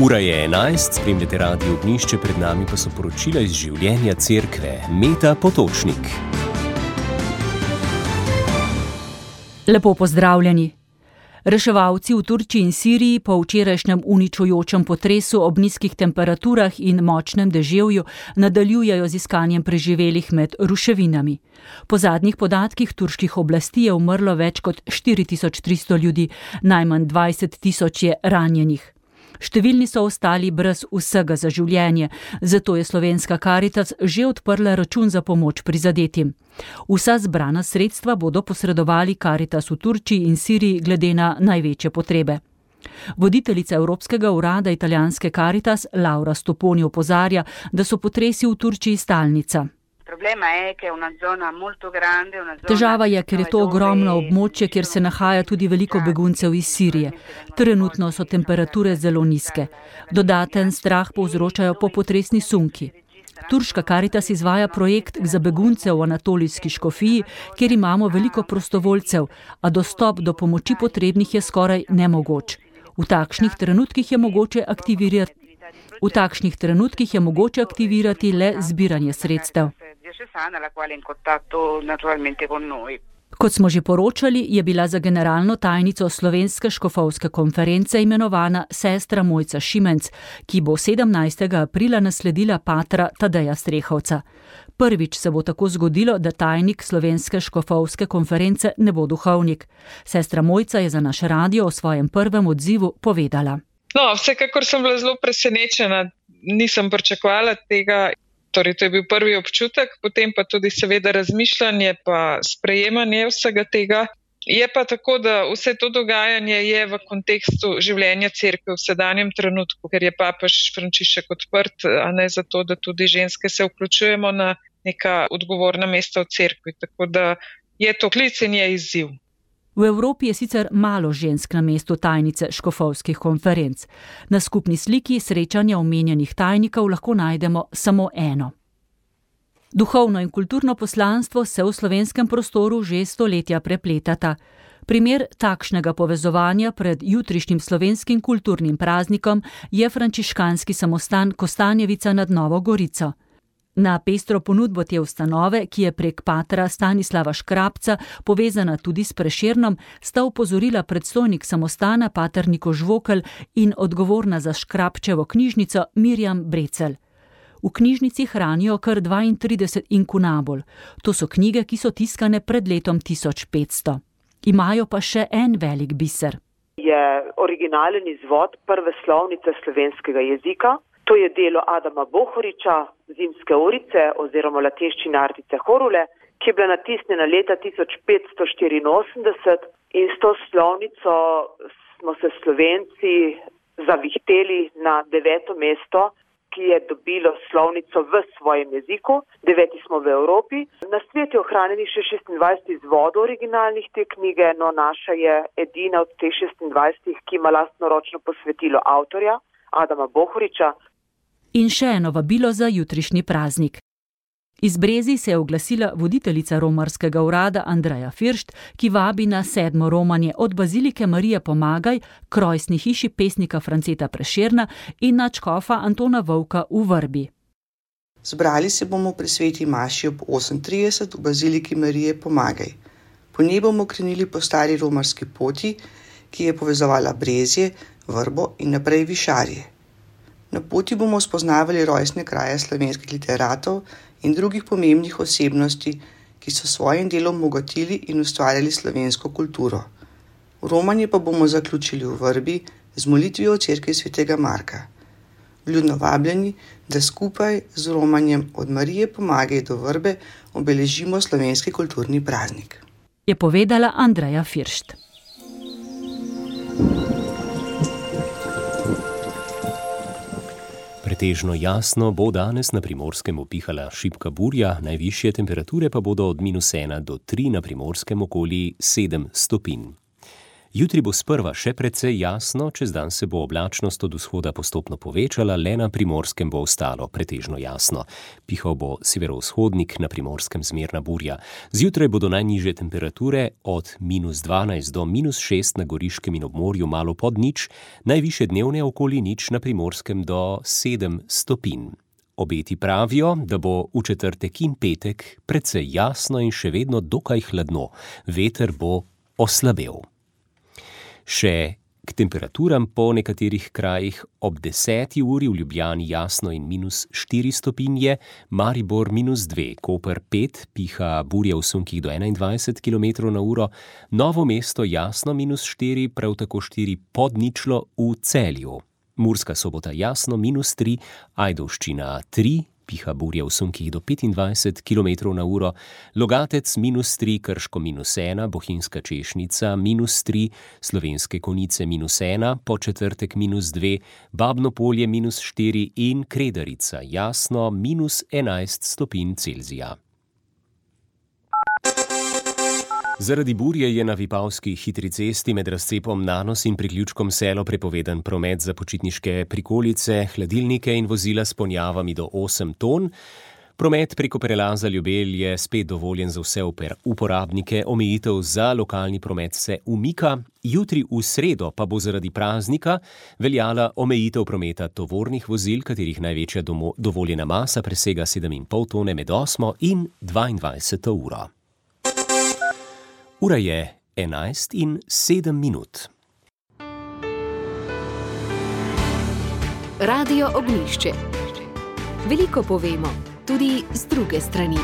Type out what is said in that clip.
Ura je 11, spremljate Radio Ognjišče, pred nami pa so poročila iz življenja cerkve. Meta Potočnik. Lepo pozdravljeni. Reševalci v Turčiji in Siriji po včerajšnjem uničujočem potresu ob nizkih temperaturah in močnem deževju nadaljujejo z iskanjem preživelih med ruševinami. Po zadnjih podatkih turških oblasti je umrlo več kot 4300 ljudi, najmanj 20.000 je ranjenih. Številni so ostali brez vsega za življenje, zato je slovenska Karitas že odprla račun za pomoč prizadetim. Vsa zbrana sredstva bodo posredovali Karitas v Turčiji in Siriji glede na največje potrebe. Voditeljica Evropskega urada italijanske Karitas Laura Stoponi opozarja, da so potresi v Turčiji stalnica. Težava je, ker je to ogromno območje, kjer se nahaja tudi veliko beguncev iz Sirije. Trenutno so temperature zelo nizke. Dodaten strah povzročajo popotresni sunki. Turška Karitas izvaja projekt za begunce v Anatolijski škofiji, kjer imamo veliko prostovoljcev, a dostop do pomoči potrebnih je skoraj nemogoč. V takšnih trenutkih je mogoče aktivirati le zbiranje sredstev. Kot smo že poročali, je bila za generalno tajnico Slovenske škofovske konference imenovana sestra Mojca Šimenc, ki bo 17. aprila nasledila patra Tadeja Strehovca. Prvič se bo tako zgodilo, da tajnik Slovenske škofovske konference ne bo duhovnik. Sestra Mojca je za naš radio o svojem prvem odzivu povedala. Vsekakor sem bila zelo presenečena, nisem pričakovala tega. Torej, to je bil prvi občutek, potem pa tudi seveda razmišljanje pa sprejemanje vsega tega. Je pa tako, da vse to dogajanje je v kontekstu življenja cerkve v sedanjem trenutku, ker je papež Frančišek odprt, a ne zato, da tudi ženske se vključujemo na neka odgovorna mesta v cerkvi. Tako da je to klic in je izziv. V Evropi je sicer malo žensk na mestu tajnice škofovskih konferenc. Na skupni sliki srečanja omenjenih tajnikov lahko najdemo samo eno. Duhovno in kulturno poslanstvo se v slovenskem prostoru že stoletja prepletata. Primer takšnega povezovanja pred jutrišnjim slovenskim kulturnim praznikom je frančiškanski samostan Kostanjevica nad Novo Gorico. Na pestro ponudbo te ustanove, ki je prek patra Stanislava Škrabca povezana tudi s Prešernom, sta opozorila predstojnik samostana pater Niko Žvokelj in odgovorna za Škrabčevo knjižnico Mirjam Brecelj. V knjižnici hranijo kar 32 inkunabul. To so knjige, ki so tiskane pred letom 1500. Imajo pa še en velik biser. Je originalen izvod prve slovnice slovenskega jezika. To je delo Adama Bohoriča, Zimske urice oziroma lateščine Artice Horule, ki je bila natisnjena leta 1584 in s to slovnico smo se Slovenci zavihteli na 9. mesto, ki je dobilo slovnico v svojem jeziku. 9. smo v Evropi. Na svetu je ohranjenih še 26 izvodov originalnih te knjige, no naša je edina od teh 26, ki ima lastnoročno posvetilo avtorja Adama Bohoriča. In še eno vabilo za jutrišnji praznik. Iz Brezij se je oglasila voditeljica romarskega urada Andreja Firšt, ki vabi na 7. romanje od Bazilike Marije Pomagaj k rojstni hiši pesnika Franceta Prešerna in nadškofa Antona Vovka v Vrbi. Zbrali se bomo pri sveti maši ob 8:30 v Baziliki Marije Pomagaj. Po njej bomo krenili po stari romarski poti, ki je povezovala Brezje, Vrbo in naprej Višarje. Na poti bomo spoznavali rojstne kraje slovenskih literatov in drugih pomembnih osebnosti, ki so svojim delom obogatili in ustvarjali slovensko kulturo. Romanje pa bomo zaključili v Vrbi z molitvijo v cerkvi svetega Marka. Vljudno vabljeni, da skupaj z romanjem od Marije Pomagaj do Vrbe obeležimo slovenski kulturni praznik. Je povedala Andreja Firšt. Pretežno jasno bo danes na Primorskem upihala šibka burja, najvišje temperature pa bodo od -1 do 3, na Primorskem okoli 7 stopinj. Jutri bo sprva še precej jasno, čez dan se bo oblačnost od vzhoda postopno povečala, le na Primorskem bo ostalo pretežno jasno. Pihal bo severovzhodnik, na Primorskem zmerna burja. Zjutraj bodo najnižje temperature od -12 do -6 na Goriškem in ob morju malo pod nič, najvišje dnevne okoli nič na Primorskem do 7 stopinj. Obeti pravijo, da bo v četrtek in petek precej jasno in še vedno dokaj hladno. Veter bo oslabel. Še k temperaturam po nekaterih krajih ob 10. uri v Ljubljani jasno in -4 stopinje, Maribor -2, Koper 5, piha burja v sunkih do 21 km/h, Novo mesto jasno -4, prav tako 4 pod ničlo v Celju. Murska Sobota jasno -3, Ajdovščina 3, piha burja v sunkih do 25 km/h, Logatec -3, Krško -1, Bohinjska Češnica -3, Slovenske Konjice -1, po četrtek -2, Babno Polje -4 in Kredarica jasno -11 stopinj Celzija. Zaradi burje je na Vipavski hitri cesti med razcepom Nanos in priključkom Selo prepovedan promet za počitniške prikolice, hladilnike in vozila s ponjavami do 8 ton. Promet preko prelaza Ljubelj je spet dovoljen za vse uporabnike, omejitev za lokalni promet se umika. Jutri v sredo pa bo zaradi praznika veljala omejitev prometa tovornih vozil, katerih največja dovoljena masa presega 7,5 tone med 8 in 22 uro. Ura je 11:07. Radio Ognjišče. Veliko povemo, tudi z druge strani.